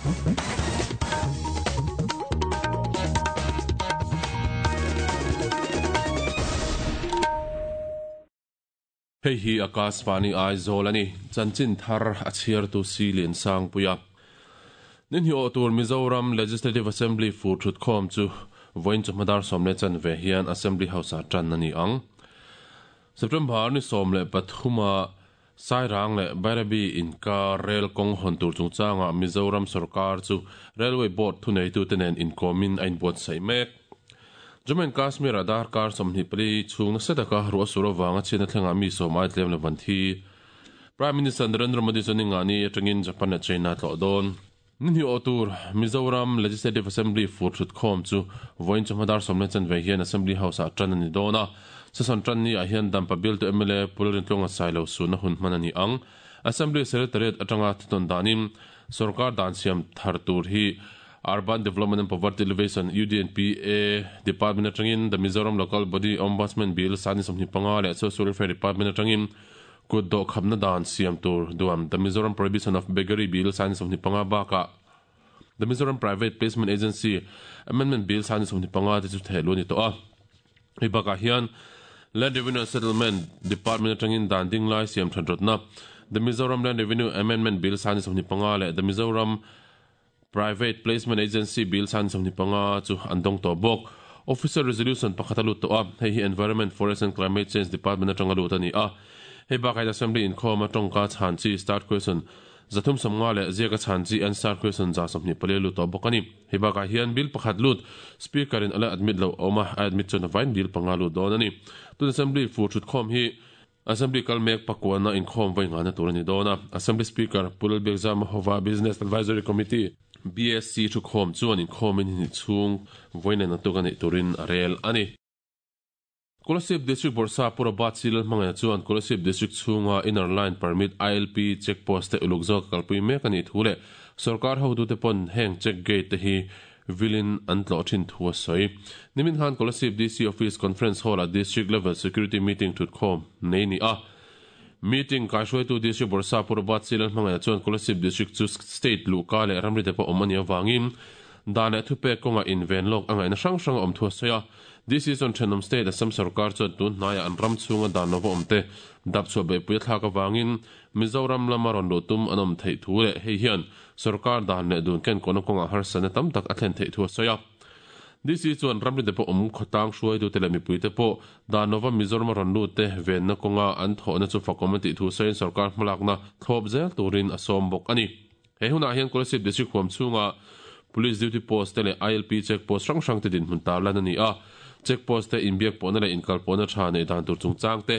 Hei hi Akashvani Aizawl a ni. Chanchin thar a chhiartu Si Liansangpuia. Ninhi awh tur Mizoram Legislative Assembly fur thutkhawm chu vawiin chawhma dar 10:15 hian Assembly House-ah tan a ni ang. September ni 13 a Sairang leh Bairabi inkar rel kawng hawn tur chungchangah Mizoram sorkar chu Railway Board thuneitute nen inkawmin a inbuatsaih mek. Jammu and Kashmir-ah darkar 24 chhung nasa taka ruah sur avanga chhiatna thlengah mi sawm ai tlem lo van thi. Prime Minister Narendra Modi chuan Ningani atangin Japan leh China tlawh dawn. Ni hnih awh tur Mizoram Legislative Assembly fur thutkhawm chu vawiin chawhma dar 10:15 hian Assembly House-ah tan a ni dawn a. Session tan ni ah hian Dampa bialtu mla Pu Lalrintluanga Sailo suhna hun hman a ni ang. Assembly Secretariat atanga thutawn danin sorkar dan siam thar tur hi Urban Development and Poverty Alleviation, UDNPA, Department atangin The Mizoram Local Body Ombudsman Bill sani 25 leh Social Welfare Department atangin kut dawh khapna dan siam tur duam The Mizoram Prohibition of Beggary Bill sani 25 bakah The Mizoram Private Placement Agency Amendment Bill sani 25 te chu theh luh a ni tawh a. Hei bakah hian Land Revenue and Settlement Department atangin dan ding lai siam that rawtna The Mizoram Land Revenue Amendment Bill sani 25 leh The Mizoram Private Placement Agency Bill san 25 chu an dawng tawh bawk. Official Resolution pakhat a lut tawh a, hei hi Environment, Forest and Climate Change Department atanga lut a ni a. Hei bakah hian Assembly inkhawma tawngka chhan chi Start Question 350 leh ziaka chhan chi Answer Question 124 a lut tawh bawk a ni. Hei bakah hian Bill pakhat lut Speaker in a la admit loh a awm a, a admit chuan a vain Bill panga lut dawn a ni. Tun Assembly fur thutkhawm hi Assembly kal mek pakuana inkhawm vawi nghahna tur a ni dawn a, Assembly Speaker Pu Lalbiakzama hova Business Advisory Committee, BSC, thukhawm chuan inkhawmin hnih chhung vawi nen a tuk a neih turin a rel a ni. Kolasib District Bawrhsa Pu Robert C. Lalhmangaihna chuan Kolasib District chhunga Inner Line Permit, ILP, check post te uluk zawk a kalpui mek a nih thu leh sawrkar hotute pawn heng check gate te hi Vilin an tlawh thin thu a sawi. Nimin khan Kolasib DC Office Conference Hall-ah District Level Security Meeting thutkhawm nei ni a. Meeting kaihruaitu District Bawrhsa Pu Robert C. Lalhmangaihna chuan Kolasib District chu State luhka leh ramri te pawh awm a nih avangin dan leh thupek kawngah inven lawk a ngaihna hrang hrang a awm thu a sawi a. DC chuan thenawm State Assam sorkar chuan tun hnaiah an ram chhunga dan lova awm te dapchhuah beihpui a thlak avangin Mizoram lama rawn luh tum an awm theih thu leh hei hian sorkar dan leh dun kenkawhna kawngah harsatna tam tak a thlen theih thu a sawi a. DC chuan ramri te pawh awm khawtlang hruaitute leh mipuite pawh dan lova Mizorama rawn lut te venna kawnga an thawhna chu fakawm a tih thu sawiin sorkar hmalakna thlawp zel turin a sawm bawk a ni. He hunah hian Kolasib District huam chhunga Police Duty Post te leh ILP Check Post hrang hrang te dinhmun tarlan a ni a. Check Post te inbiak pawhna leh inkalpawhna tha neih dan tur chungchang te,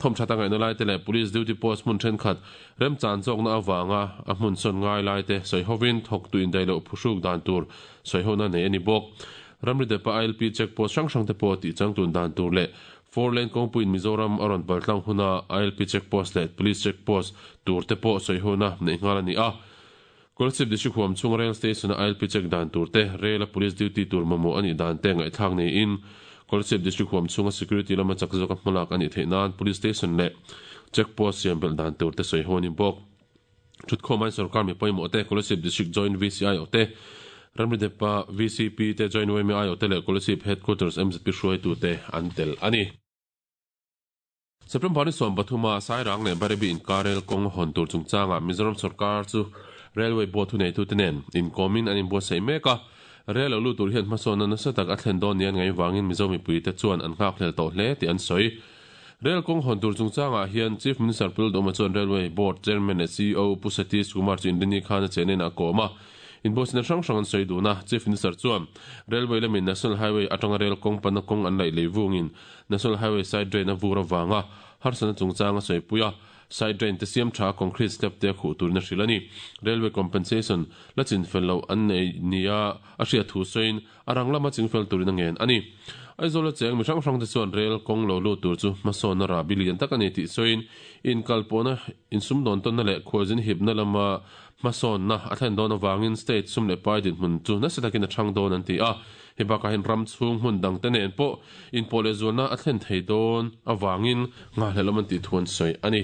Thawmthat a ngaihna laite leh Police Duty Post hmun thenkhat remchan zawkna avanga a hmun sawn ngai laite sawi hovin thawktu indaih loh phuhruk dan tur sawi hona nei a ni bawk. Ramri depa ILP Check Post hrang hrangte pawh tih changtlun dan tur leh Four Lane kawngpuiin Mizoram a rawn paltlang huna ILP Check Post leh Police Check Post turte pawh sawi hona neih nghal a ni a. Kolasib District huam chhunga Rail Station-a ILP check dan tur te, Rail-a Police duty tur mamawh a nih dan te ngaihthlak niin Kolasib District huam chhunga security lama chak zawka hmalak a nih theih nan Police Station leh Check Post siam belh dan tur te sawi ho a ni bawk. Thutkhawm ain sorkar mi pawimawh te, Kolasib District Joint VC aiawh te, Ramri Depa VCP te, Joint yma aiawh te leh Kolasib Headquarters MZP hruaitu te an tel a ni. September ni 13 a Sairang leh Barebi inkar rel kawng hawn tur chungchangah Mizoram sorkar chu Railway Board thuneitute nen inkawmin an inbuatsaih mek a. Rel lo lut tur hian hmasawnna nasa tak a thlen dawn nia an ngaih vangin Mizo mipuite chuan an nghakhlel tawh hle tih an sawi. Rel kawng hawn tur chungchangah hian Chief Minister Pu Lalduhoma chuan Railway Board Chairman leh ceo Pu Satish Kumar chu Inrini khan a chenenah a kawm a. Inbuatsaihna hrang hrang an sawi dun a. Chief Minister chuan Railway lamin National Highway atanga rel kawng panna kawng an laih lei vungin National Highway side drain a vur avanga harsatna chungchang a sawipui a, side drain te siam tha concrete slab te a khuh turin a hrilh a ni. Railway compensation la chinfel loh an nei nia a hriat thu sawiin a rang lama chingfel turin a ngen a ni. Aizawl a cheng mi hrang hrang te chuan rail kawng lo lut tur chu hmasawnna rahbi lian tak a ni tih sawiin inkalpawhna, insumdawn tawnna leh khualzin hipna lama hmasawnna a thlen dawn avangin state sum leh pai dinhmun chu nasa takin a chhang dawn an ti a. Hei bakah hian ram chhung hmun dangte nen pawh inpawh leh zualna a thlen thei dawn avangin nghahhlelh awm an tih thu an sawi a ni.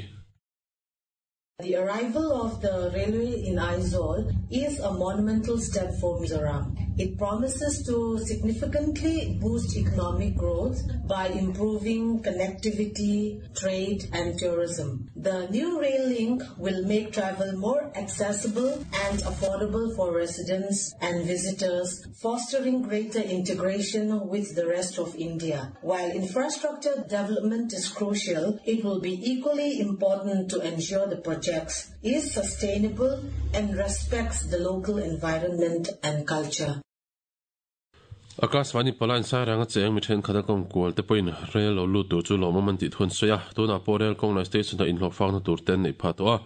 The arrival of the railway in Aizawl is a monumental step for Mizoram. It promises to significantly boost economic growth by improving connectivity, trade and tourism. The new rail link will make travel more accessible and affordable for residents and visitors, fostering greater integration with the rest of India. While infrastructure development is crucial, it will be equally important to ensure the projects is sustainable and respects the local environment and culture. Akashvani palain Sairanga cheng mi thenkhat a kawm kual te pawhin rel lo lut tur chu lawmawm an tih thu an sawi a, tunah pawh rel kawng lai station ah inhlawh fakna tur te an neih phah tawh a,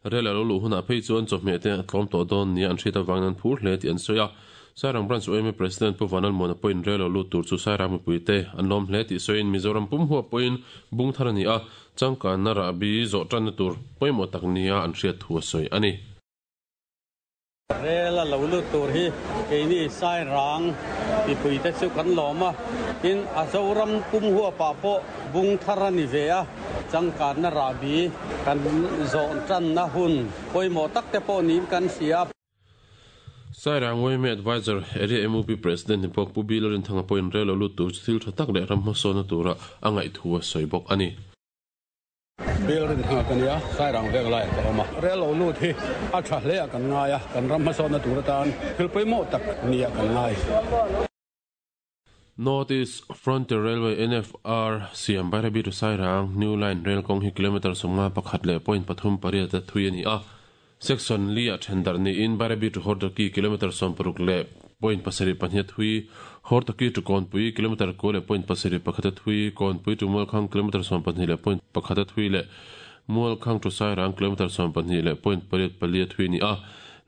rel a lo luh hunah phei chuan chawhmeh te a tlawm tawh dawn nia an hriat avangin an phur hle tih an sawi a. Sairang Branch UMA President Pu Vanlalmuana pawhin rel lo lut tur chu Sairang mipuite an lawm hle tih sawiin Mizoram pum huap pawhin bung thar a ni a, changkanna rahbi zawh tanna tur pawimawh tak nia an hriat thu a sawi a ni. Rel a lo lut tur hi keini Sairang mipuite chu kan lawm a, tin a Zoram pum huapah pawh bung thar a ni ve a, changkanna rahbi kan zawh tanna hun pawimawh tak te pawh niin kan hria. Sairang yma Adviser, Area MUP President ni bawk Pu Bill Rinthanga pawhin rel lo lut tur chu thil tha tak leh ram hmasawnna tura a ngaih thu a sawi bawk a ni. Bill Rinthanga ka nia, Sairang vek laiah ka awm a. Rel lo lut hi a tha hle ah kan ngai a, kan ram hmasawnna tur atan thil pawimawh tak nia kan ngai. North East Frontier Railway, NFR, siam Bairabi to Sairang New Line rel kawng hi kilometre 51.38 a thui a ni a. Section li ah then darh niin Bairabi to Hortoki kilometre 16.72 a thui, Hortoki to Kawnpui kilometre 9.71 a thui, Kawnpui to Mualkhang kilometre 12.1 a thui leh Mualkhang to Sairang kilometre 12.84 a thui a ni a.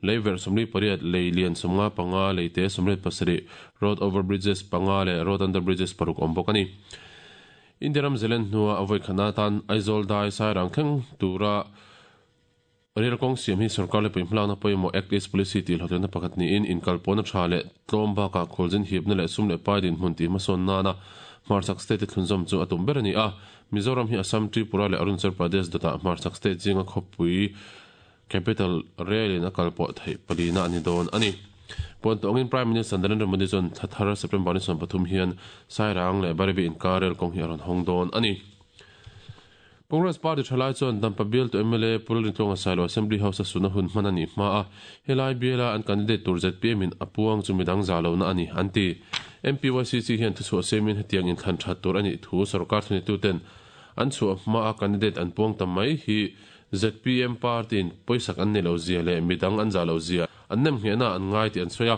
Lei verh 48, lei lian 55, lei te 87, road over bridges panga leh road under bridges paruk awm bawk a ni. India ram Zealand hnua a vawi khatna atan Aizawl dai Sairang thleng tura rel kawng siam hi sorkar leh puihmalakna pawimawh Act East Policy tih hlawhtlinna pakhat niin inkalpawhna tha leh tlawm bakah khualzin hipna leh sum leh pai dinhmun tih hmasawn nana hmarchhak state te thlunzawm chu a tum ber a ni a. Mizoram hi Assam, Tripura leh Arunachal Pradesh dawtah hmarchhak state zinga khawpui Capital Rail in a kal pawh theih palina a ni dawn a ni. Puan tawngin Prime Minister Narendra Modi chuan thla thar September ni 13 hian Sairang leh Bairabi inkar rail kawng hi a rawn hawng dawn a ni. Congress party thalai chuan Dampa bialtu mla Pu Lalrintluanga Sailo Assembly House a suna hun hman a nih hma a, helai biala an candidate tur zpm in a puang chu midang za lohna a ni, an ti. MPYCC hian thuchhuah siamin hetiang inthlan that tur a nih thu sorkar thunituten an chhuah hma a candidate an puang ta mai hi Zpm party-in pawisak an nei lo zia leh midang an zah lo zia an nem nghehna an ngai tih an sawi a.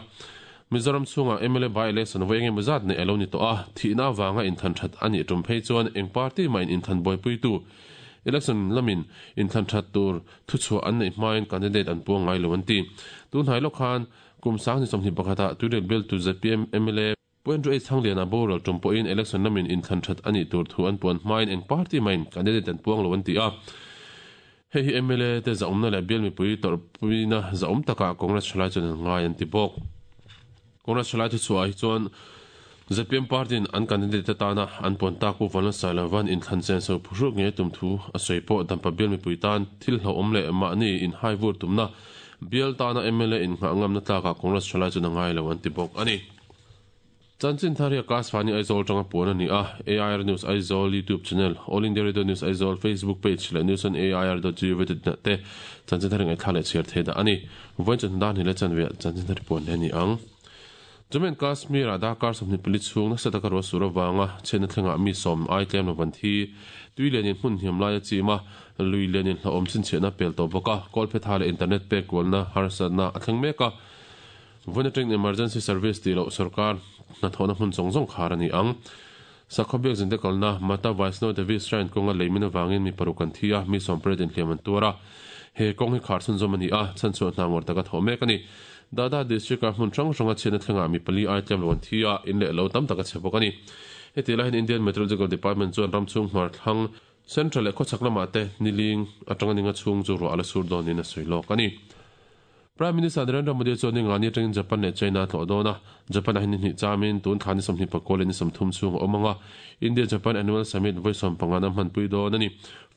Mizoram chhungah mla by-election vawi engemaw zat neih a lo ni tawh a, thihna avanga inthlan that a nih tum phei chuan eng party mahin inthlan buaipuitu election lamin inthlan that tur thuchhuah an neih hmain candidate an puang ngai lo an ti. Tunhnai lawk khan kum 2021 ah Tuirial bialtu zpm mla Pu Andrew H. Thangliana boral tum pawhin election lamin inthlan that a nih tur thu an puan hmain eng party mahin candidate an puang lo an ti a. Hei hi mla te zahawmna leh bial mipui tawrhpuina zahawm takah Congress thalai chuan an ngai an ti bawk. Congress thalai thuchhuah ah hi chuan zpm party in an candidate atana an puan tak Pu Vanlalsailova'n inthlan senso phuhruk ngei a tum thu a sawi pawh Dampa bial mipui tan thil hlauhawm leh mahni inhai vur tumna bial tana mla innghah ngamna tlakah Congress thalai chuan a ngai lo an ti bawk a ni. Chanchin thar hi Akashvani Aizawl atanga puan a ni a, AIR News Aizawl YouTube channel, All India Radio News Aizawl Facebook page leh News on AIR dot gov dot in ah te chanchin thar ngaihthlak leh chhiar thei dah a ni. Vawiin chawhnu dan hi leh chanve ah chanchin thar hi puan leh a ni ang. Jammu and Kashmir ah darkar 24 chhung nasa taka ruah sur avanga chhiatna thlengah mi sawm ai tlem lo van thi, tui lianin hmun hniam lai a chim a, lui lianin hlauhawm chhinchhiahna pel tawh bawk a, kawlphetha leh internet pek kualna harsatna a thleng mek a. Vawiin atangin emergency service tih loh sorkar hnathawhna hmun zawng zawng khar a ni ang. Sakhaw biakzinte kalna Mata Vaishno Devi Shrine kawnga leimin avangin mi paruk an thi a, mi sawmpariat inhliam an tuar a. He kawng hi khar chhunzawm a ni a, chhanchhuah hna ngawr taka thawh mek a ni. Dada district-a hmun hrang hranga chhiatna thlengah mi pali ai tlem lo an thi a, in leh lo tam tak a chhe bawk a ni. Heti laiin Indian Meteorological Department chuan ram chhung hmar thlang Central leh khawchhak lamah te niling atanga ninga chhung chu ruah a la sur dawnin a sawi lawk a ni. Prime Minister Narendra Modi chuan ningani atangin Japan leh China a tlawh dawn a, Japan ah hian ni hnih chamin tun thla ni 24 leh ni 30 chhung a awm ang a, India-Japan Annual Summit vawi 15 an hmanpui dawn a ni.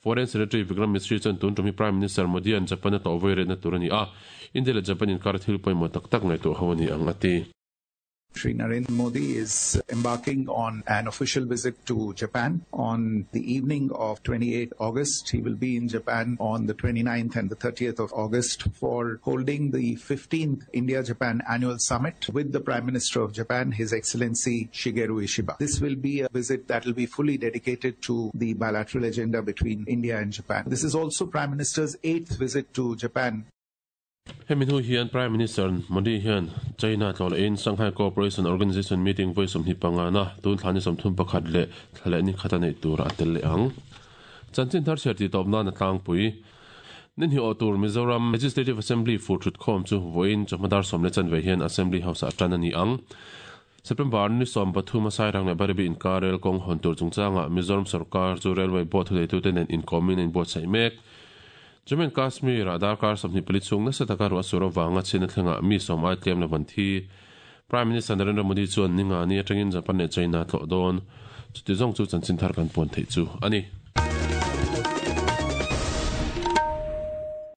Foreign Secretary Vikram Misri chuan tun tum hi Prime Minister Modi-a'n Japan a tlawh vawi retna tur a ni a, India leh Japan inkar thil pawimawh tak tak ngaihtuah ho a ni ang a ti. Shri Narendra Modi is embarking on an official visit to Japan on the evening of 28 August. He will be in Japan on the 29th and the 30th of August for holding the 15th India-Japan Annual Summit with the Prime Minister of Japan, His Excellency Shigeru Ishiba. This will be a visit that will be fully dedicated to the bilateral agenda between India and Japan. This is also Prime Minister's eighth visit to Japan. Hemi hnu hian Prime Minister Modi hian China tlawh lehin Shanghai Cooperation Organization meeting vawi 25 na tun thla ni 31 leh thla leh ni khat a neih tur a tel leh ang. Chanchin thar chhiar tih tawp nan a tlangpui. Ni hnih awh tur Mizoram Legislative Assembly fur thutkhawm chu vawiin chawhma dar sawm leh chanve hian Assembly House ah tan a ni ang. September ni 13 a Sairang leh Baribi inkar rel kawng hawn tur chungchangah Mizoram sorkar chu Railway Board thuneitute nen inkawmin a inbuatsaih mek. Jammu and Kashmir-ah darkar 24 chhung nasa taka ruah sur avanga chhiatna thlengah mi sawm ai tlem lo an thi. Prime Minister Narendra Modi chuan ninga ni atangin Japan leh China a tlawh dawn. Chuti zawng chu chanchin thar kan puan theih chu a ni.